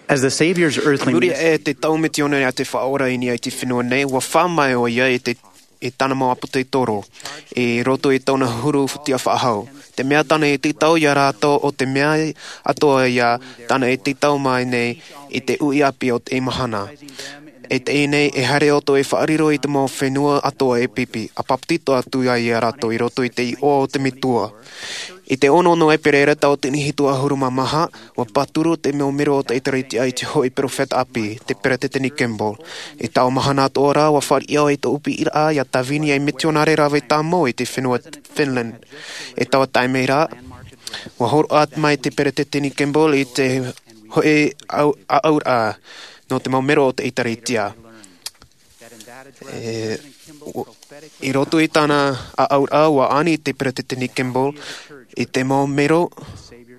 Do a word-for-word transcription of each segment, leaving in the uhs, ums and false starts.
As the Savior's earthly Muri ministry e te tau mitionare a te Faʻaora i niʻa i te fenua nei, ua fā mai ʻo ia i te, i tāna mau ʻāpōsetolo, i roto i tōna huru tiʻa faʻahou. Te mea tāna e tītau ia rātou ʻo te mea atoʻa ia tāna e tītau mai nei i te uʻi ʻāpī o te mahana. E teie nei, e haere ʻoutou e faʻariro i te mau fenua atoʻa e pipi, ʻa pāpetito atu ai ia rātou i roto i te iʻoa o te Metua. I te ono nō ʻEperēra tauatini hitu ʻahuru mā maha, ua pāturu te mau mero o te ʻĒtārētia i te hoʻi perofeta ʻāpī, te Peresideni Kimball. I taua mahana atoʻa rā, ua fāriʻi au i tōʻu piʻiraʻa ia tāvini ei mitionare rave tāmau i te fenua Finland. I taua taime ra, ua hōroʻa mai te Peresideni Kimball i te hoʻi ʻāʻau-, ʻāʻauraʻa nō te mau mero o te ʻĒtārētia. E, u-, i roto i tāna ʻāʻauraʻa, ua ani te Peresideni Kimball i te mau mero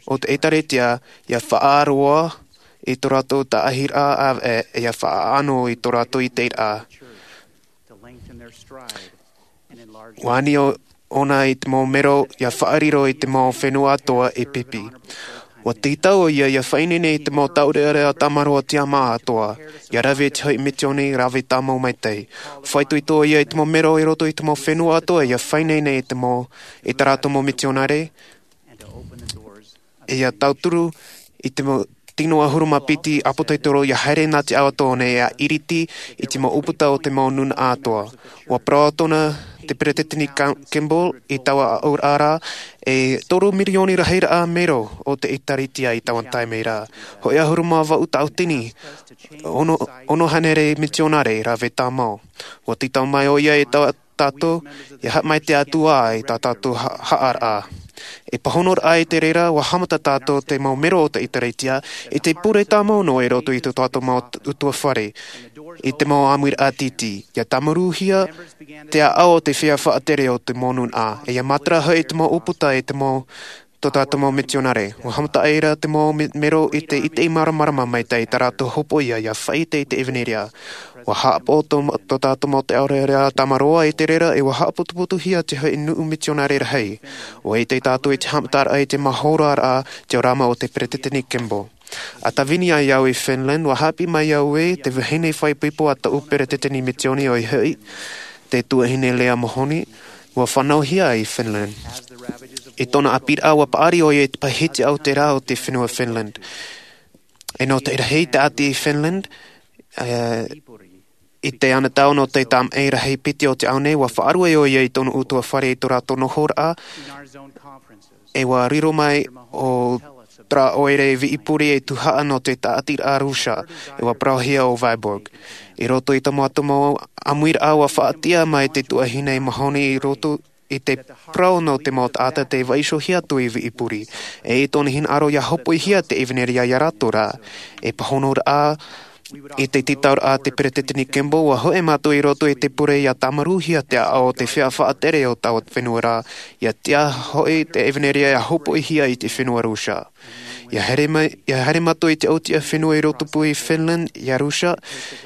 o te ʻĒtārētia ia faʻaroa i tō rātou tāʻahiraʻa ʻāvaʻe, e ia faʻaʻano i tō rātou ʻiteraʻa. Ua ani ʻo-, ʻōna i te mau mero ia faʻariro i te mau fenua atoʻa e pipi. Ua tītau ʻo ia ia faʻaineine i te mau taureʻareʻa tamaroa tiʻamā atoʻa, ia rave i te hoʻi misiōni rave tāmau maitaʻi. Faʻaitoito ʻo ia i te mau mero i roto i te mau fenua atoʻa ia faʻaineine i te mau, i tā rātou mau mitionare, e ia tauturu i te mau tino ʻahuru mā piti ʻāpōsetolo ia haere nā te ao atoʻa nei, ia iriti i te mau ʻūputa o te mau nūnaʻa atoʻa. Ua parau atoʻa te Peresideni Ka-, Kimball i taua ʻāʻauraʻa ra, e toru mirioni rahiraʻa mero o te ʻĒtārētia i taua taime ra. Hoʻi ʻahuru mā vaʻu tauatini, ono, ono hānere mitionare rave tāmau. Ua tītau mai ʻo ia i tā tātou, ia haʻamaitaʻi atu ā i tā tātou ha-, haʻaraʻa. E pāhonoraʻa i te reira, ua haʻamata tātou te mau mero o te ʻĒtārētia, i te pure tāmau noa i roto i tō tātou mau t-, ʻutuāfare, i te mau ʻāmuiraʻa tītī. Ia tāmaruhia te ʻāʻau o te feiā faʻatere o te mau nūnaʻa, e ia matara hoʻi te mau ʻūputa i te mau tō tātou mau mitionare. Ua haʻamata ʻoia i te mau me-, mero i te ʻite māramarama maitaʻi i tā rātou hopoiʻa ia faʻaʻite i te ʻevanelia. Ua haʻapaʻo tō ma-, tō tātou mau taureʻareʻa tamaroa i te reira, e ua haʻaputuputuhia te hoʻi nuʻu mitionare rahi. Ua ʻite tātou i te haʻamataraʻa i te mau hōroʻaraʻa teorama o te Peresideni Kimball. ʻA tāvini ai au i Finland, ua haʻapiʻi mai au i te vahine faʻaipoipo a tōʻu peresideni misiōni, ʻoia hoʻi te tuahine Leah Mahoney, ua fānauhia i Finland. I tōna ʻāpīraʻa, ua paʻari ʻoia i te pae hiti ʻautera o te fenua Finland. E nō te rahi taʻata i Finland, e, i te anotau nō te tamaʻi rahi piti o te ao nei, ua faʻaruʻe ʻoia i tōna ʻutuāfare i tō rātou nohoraʻa, e ua riro mai ʻo Tara ʻoire Viipuri ei tuhaʻa nō te tāʻatiraʻa Rusia, e ua parauhia ʻo Vyborg. I roto i te mau ʻāmuiraʻa, ua faʻatiʻa mai te tuahine Mahoney i roto i te parau nō te mau taʻata tē vaiiho atu i Viipuri, e i tōna hinaʻaro ia hopoihia te ʻevanelia ia rātou ra. E pāhonoraʻa i te tītauraʻa a te Peresideni Kimball, ua hoʻi mātou i roto i te pure ia tāmaruhia te ʻāʻau o te feiā faʻatere o taua fenua ra, ia tiʻa hoʻi te ʻevanelia ia hopoihia i te fenua Rusia. Ia haere mai, ia haere mātou i te ʻautiʻa fenua i rotopū i Finland, ia Rusia,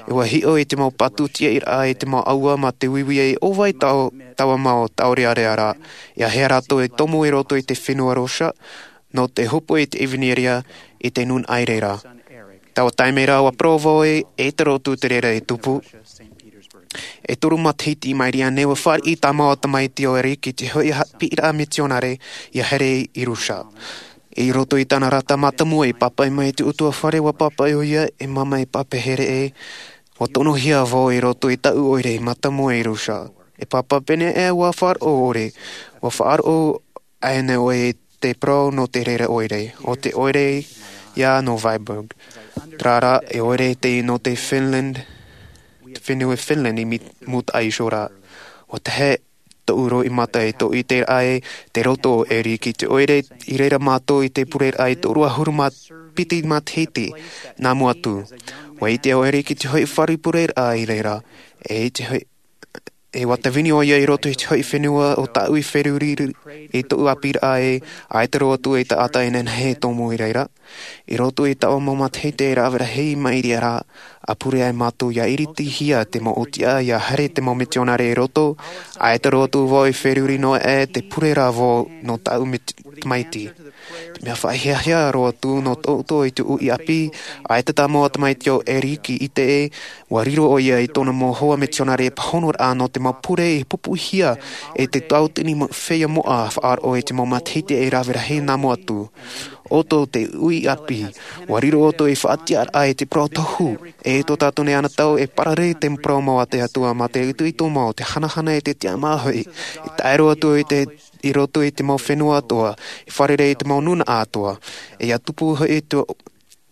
e ua hiʻo i te mau patu tiʻairaʻa i te mau ʻāua mā te uiui e ʻo vai tau-, taua mau taureʻareʻa ra. Ia haere rātou e tomo i roto i te fenua Rusia, nō te hopoi i te ʻevanelia i te nūnaʻa i reira. Taua taime ra ua parau vau e, e te roto te reira e tupu. E toru matahiti i maʻiri aʻe nei, ua fāriʻi tā māua tamaiti ʻoire ki te hoʻi ha-, piʻiraʻa mitionare ia haere i Rusia. I roto i tāna rata mātāmua i pāpaʻi mai i te ʻutuāfare, ua pāpaʻi ʻoia, e māmā, e pāpaʻi here ē, ua tonohia vau i roto i tāʻu ʻoire mātāmua i Rusia. E pāpaʻi pēnei aʻe, ua faʻaroʻo ʻoe, ua faʻaroʻo aʻenei ʻoe i te parau nō te reira ʻoire, ʻo te ʻoire ïa nō Vyborg. Terā rā, e ʻoire te nō te Finland, te fenua Finland i mi-, mūtaʻa iho ra. ʻUa tahe tōʻu roimata e tōʻu ʻiteraʻa i te roto o ʻEri ki te ʻoire i reira mātou i te pureraʻa i te toru ʻahuru mā piti matahiti nā mua atu. ʻUa ʻite ʻoe i te hoʻi fare pureraʻa i reira, e i te hoʻi, e ʻua tāvini ʻoia i roto i te hoʻi fenua ʻo tāʻu i feruri i tōʻu ʻāpīraʻa e ʻaita roa atu e taʻata inānahi e tomo i reira. I roto i taua mau matahiti e rave rahi i maʻiri aʻe ra, ʻa pure ai mātou ia iritihia te mau ʻōtiʻa, ia haere te mau mitionare i roto, ʻaita roa atu vau i feruri noa aʻe te pure ra vau nō tāʻu mit-, tamaiti. Te mea faʻahiahia roa atu nō tō ʻoutou i te uʻi ʻāpī, ʻaita tā mau tamaiti o Eriki i te ʻē, ua riro ʻoia i tōna mau hoa mitionare e pāhonoraʻa nō te mau pure i pupuhia e te tauatini feiā moʻa faʻaroʻo i te mau matahiti e rave rahi nā mua atu. ʻOutou te uʻi ʻāpī, ua riro ʻoutou i faʻatiʻaraʻa i te parau tohu, e tō tātou nei anotau e parare te parau mau a te Atua mā te itoito mau, te hanahana e te tiʻamā hoʻi, e tae roa atu i te, i roto i te mau fenua atoʻa, e fārerei i te mau nūnaʻa atoʻa, e ia tupu hoʻi te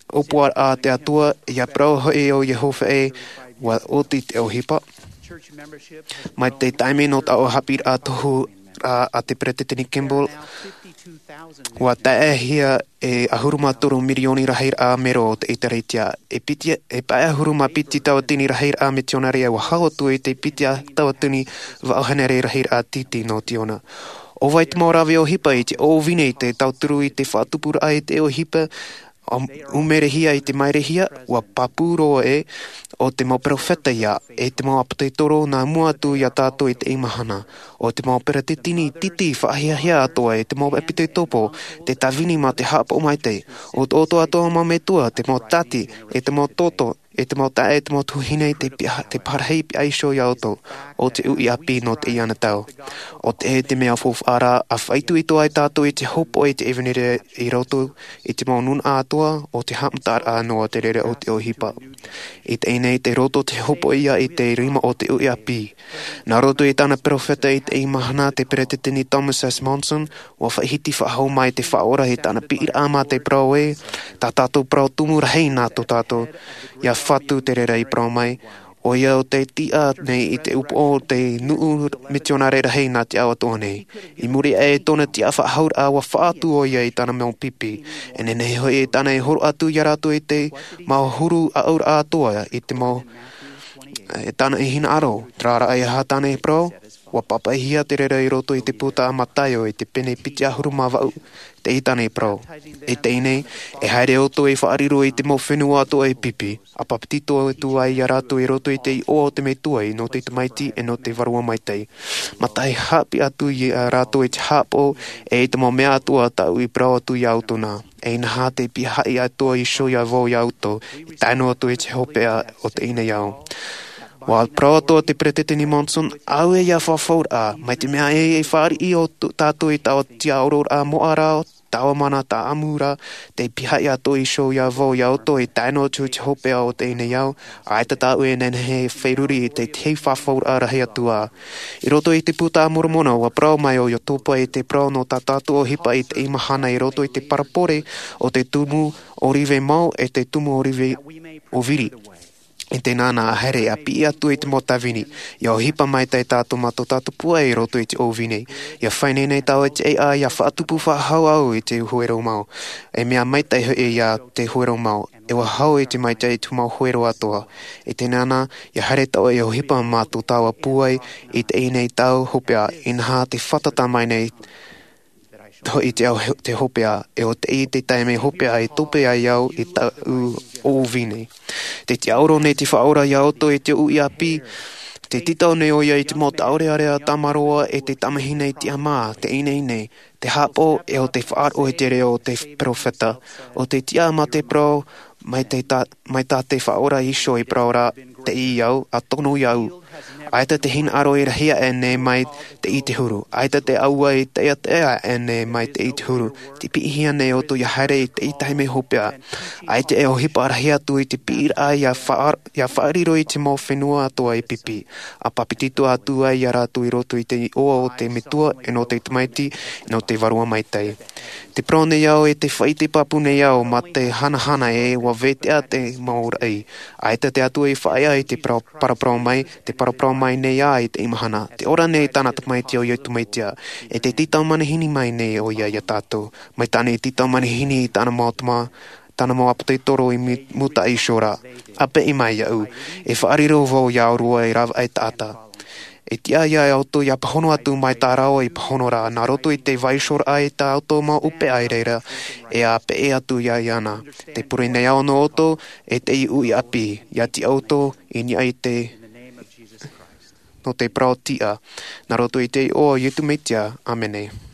ʻōpuaraʻa a te Atua, e ia parau hoʻi ʻo Iehova ē, ua oti te ʻohipa. Mai te taime nō taua haʻapiʻiraʻa tohu a te Peresideni Kimball, ua taehia e ʻahuru mā toru mirioni rahiraʻa mero o te ʻĒtārētia. E piti, e pae ʻahuru mā piti tauatini rahiraʻa mitionare ua hau atu i te piti tauatini vaʻu hānere rahiraʻa tītī nō Tiona. ʻO vai te mau rave ʻohipa i te ʻōvine i te tauturu i te faʻatupuraʻa i te ʻohipa, ʻo ʻumerehia i te mairehia, ua pāpū roa ē, ʻo te mau perofeta ia, e te mau ʻāpōsetolo nā mua atu ia tātou i teie mahana, ʻo te mau peresideni tītī faʻahiahia atoʻa e te mau ʻāpōsetolo, te tāvini mā te haʻapaʻo maitaʻi, ʻo tō ʻoutou atoʻa mau metua, te mau tāti, e te mau toto, e te mau taeaʻe, e te mau tuahine, te pia-, te parahi pihaʻi iho ia ʻoutou, ʻo te uʻi ʻāpī nō teie anotau. ʻO te, e te mea faufaʻa ra, ʻa faʻaitoito ai tātou i te hōpoʻa i te ʻevanelia i roto i te mau nūnaʻa atoʻa, ʻo te haʻamataraʻa noa te reira o te ʻohipa. I teie nei te roto te hōpoʻa ia i te rima o te uʻi ʻāpī. Nā roto i tāna perofeta i teie mahana te Peresideni Thomas S. Monson, ua faʻahiti faʻahou mai te Faʻaora i tāna piʻiraʻa mā te parau ē, tā tātou parau tumu rahi nā tō tātou, ia Fatu te reira i parau mai, ʻoia ʻo te tiʻa nei i te upoʻo o te nuʻu mitionare rahi nā te ao atoʻa nei. I muri aʻe i tōna tiʻafaʻahouraʻa ua faʻaʻite ʻoia i tāna mau pipi. E nehenehe hoʻi e tāna e horo atu ia rātou i te mau huru ʻāʻauraʻa atoʻa i te mau, e tāna e hinaʻaro, terā rā e aha tāna e parau, ua pāpaʻihia te reira i roto i te puta a Mataio i te pene piti ʻahuru mā vaʻu, teie tāna e parau. I teie nei, e haere ʻoutou e faʻariro i te mau fenua atoʻa e pipi, ʻa pāpetito atu ai ia rātou i roto i te iʻoa o te Metua ʻe nō te Tamaiti ʻe nō te Vārua Maitaʻi. Mā tahi haʻapiʻi atu ia rātou i te haʻapaʻo ʻe i te mau mea atoʻa tāʻu i parau atu ia ʻoutou na. E inaha te pihaʻi atoʻa iho ia vau ia ʻoutou, e tae noa atu i te hopeʻa o teie nei ao. Ua parau atoʻa te Peresideni Monson, ʻaore ia fafauraʻa, mai te mea ē e fāriʻi ʻo tō-, tātou i taua tiʻaororaʻa moʻa ra, taua mana tāʻamu ra, te pihaʻi atoʻa iho ia vau ia ʻoutou e tae noa atu i te hopeʻa o teie nei ao, ʻaita tāʻu e nehenehe e feruri i te tahi fafauraʻa rahi atu ā. I roto i te Puta a Moromona, ua parau mai ʻo Iosua i te parau nō tā tātou ʻohipa i teie mahana i roto i te parabole o te tumu ʻōrive mau ʻe te tumu ʻōrive ʻōviri. I teie nei ā, haere ʻa piʻi atu i te mau tāvini, ʻia ʻohipa maitaʻi tātou mā tō tātou pūai i roto i te ʻōvini. ʻIa fai nei nei tāua i te ʻēʻa, ʻia faʻatupu faʻahou au i te huero mau. E mea maitaʻi hoʻi ia te huero mau. E ua hau i te maitaʻi i te mau huero atoʻa. I teie nei ā, ʻia haere tāua ʻia ʻohipa mā tō tāua pūai i teie nei tau hopeʻa, inaha te fātata mai nei hoʻi te au, te hopeʻa, ʻe ʻo teie te taime hopeʻa e tope ai au i tāʻu ʻōvini. Tē tiʻaoro nei te Faʻaora ia ʻoutou i te uʻi ʻāpī, tē tītau nei ʻoia i te mau tāʻoreʻorea tamaroa ʻe te tamāhine tiʻamā, te ineine, te haʻapaʻo ʻe ʻo te faʻaroʻo i te reo o te perofeta, ʻo te tiʻa mā te parau, mai te ta-, mai tā te Faʻaora iho i parau ra, teie au, ʻa tono iāʻu. ʻAita te hinaʻaro e rahi aʻe nei mai teie huru. ʻAita te ʻāua e taʻeaʻe aʻe nei mai teie huru. Tē piʻihia nei ʻoutou ʻia haere i teie taime hopeʻa. ʻAita e ʻohipa rahi atu i te piʻiraʻa ʻia faʻa-, ʻia faʻariro i te mau fenua atoʻa e pipi. ʻA pāpetito atu ai ia rātou i roto i te iʻoa o te Metua, ʻe nō te Tamaiti, ʻe nō te Vārua Maitaʻi. Tē parau nei au ʻe tē faʻaʻite pāpū nei au mā te hanahana ē ua veteʻa te mau raʻi. ʻAita te Atua i faʻaea i te parau-, paraparau mai, tē paraparau mai nei ā i teie mahana. Tē ora nei tāna Tamaiti ʻo Iesu Mesia. ʻE tē tītau manihini mai nei ʻoia ia tātou. Mai tāna i tītau manihini i tāna mau tama, tāna mau ʻāpōsetolo i mu-, mūtaʻa iho ra. ʻA piʻi mai iāʻu. E faʻariro vau ia ʻōrua e rāveʻa taʻata. E tiʻa ia ʻoutou ʻia pāhono atu mai tā rāua i pāhono ra, nā roto i te vaiihoraʻa i tā ʻoutou mau ʻohipa i reira, ʻe ʻa peʻe atu ia iāna. Tē pure nei au nō ʻoutou, ʻe teie uʻi ʻāpī, ʻia tiʻa ʻoutou, i niʻa i te, nō te parau tiʻa, nā roto i te iʻoa o Iesu Mesia, ʻāmene.